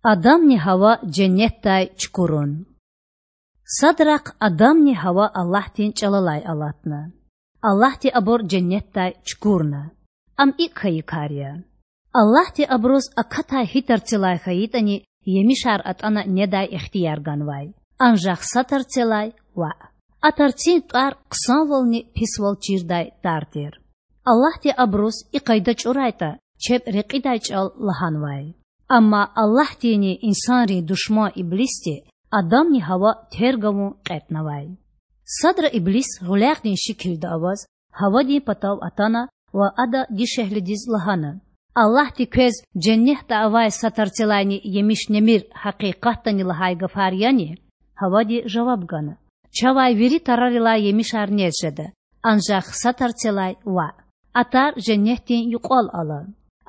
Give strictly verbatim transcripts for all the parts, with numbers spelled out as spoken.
Адамни Гьава женнетдай чукурун. Садрахъ Адамни Гьава Аллагьдин чІалалай алатна. Аллагьди абур женнетдай чукурна. Ам икІ хьайи кар я. Аллагьди абуруз акатай гьи тарцелай хьайитІани емишар атІана недай ихтияр ганвай. Анжах са тарцелай ваъ. А тарцин тІвар хъсанвални писвал чирдай тар тир. Аллагьди абуруз и къайда чІурайтІа, чеб рекьидай чІал лагьанвай. Амма Аллагьдинни инсанрин душман Иблисди Адамни Гьава терг авун кьетІнавай. Садра Иблис гъуьлягъдин шикилда аваз Гьавадин патав атана ва ада дишегьлидиз лагьана: Аллагьди квез женнетда авай са тарцелайни емиш немир гьакъикъатдани лагьай гафар яни? Гьавади жаваб гана: Чавай вири тарарилай емишар нез жеда, анжах са тарцелай ваъ. А тар женнетдин юкьвал ала.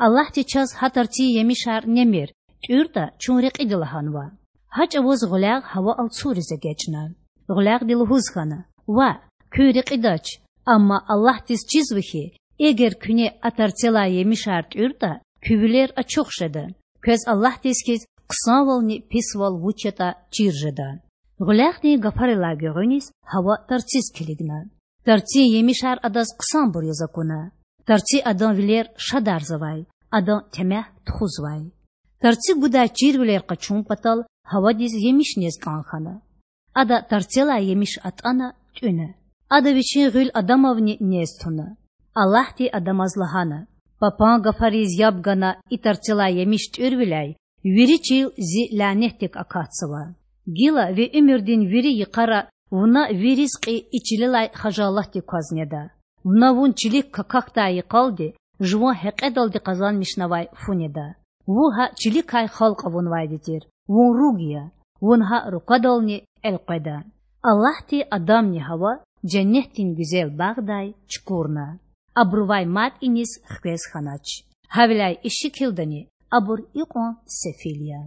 Аллагьди чаз гьа тарцин емишар немир тІуьртІа, чун рекьидал лагьанва. Гьа чІавуз гъуьлягъ Гьава алцуриз эгечІна. Гъуьлягъди лугьуз хьана: Ваъ, куьн рекьидач. Амма Аллагьдиз чизва хьи, эгер куьне а тарцелай емишар тІуьртІа, куь вилер ачух жеда, квез Аллагьдиз хьиз хъсанвални писвал вуч ятІа чир жеда. Гъуьлягъдин гафарилай гуьгъуьниз Гьава тарциз килигна. Тарцин емишар адаз хъсанбур яз акуна. Тарци адан вилер шадарзавай, адан темягь тухузвай. Тарци гудай чирвилер къачун патал Гьавадиз емиш нез кІан хьана. Ада тарцелай емиш атІана тІуьна. Ада вичин гъуьл Адамавни нез туна. Аллагьди Адамаз лагьана: Папан гафариз яб гана и тарцелай емиш тІуьрвиляй вири чил Зи лянетдик акатзава. Гила ви уьмуьрдин вири йикъара вуна ви ризкьи и чилелай хажалатдик кваз неда. Вуна вун чилик какахьдай йикъалди жуван гьекьедалди къазанмишнавай фу неда. Вун гьа чиликай халкь авунвайди тир, вун руг я, вун гьа руквадални элкъведа. Аллагьди Адамни Гьава женнетдин гуьзел багъдай чукурна. Абурувай мад иниз хквез хьанач. Гьавиляй и шикилдани абур икьван сефил я.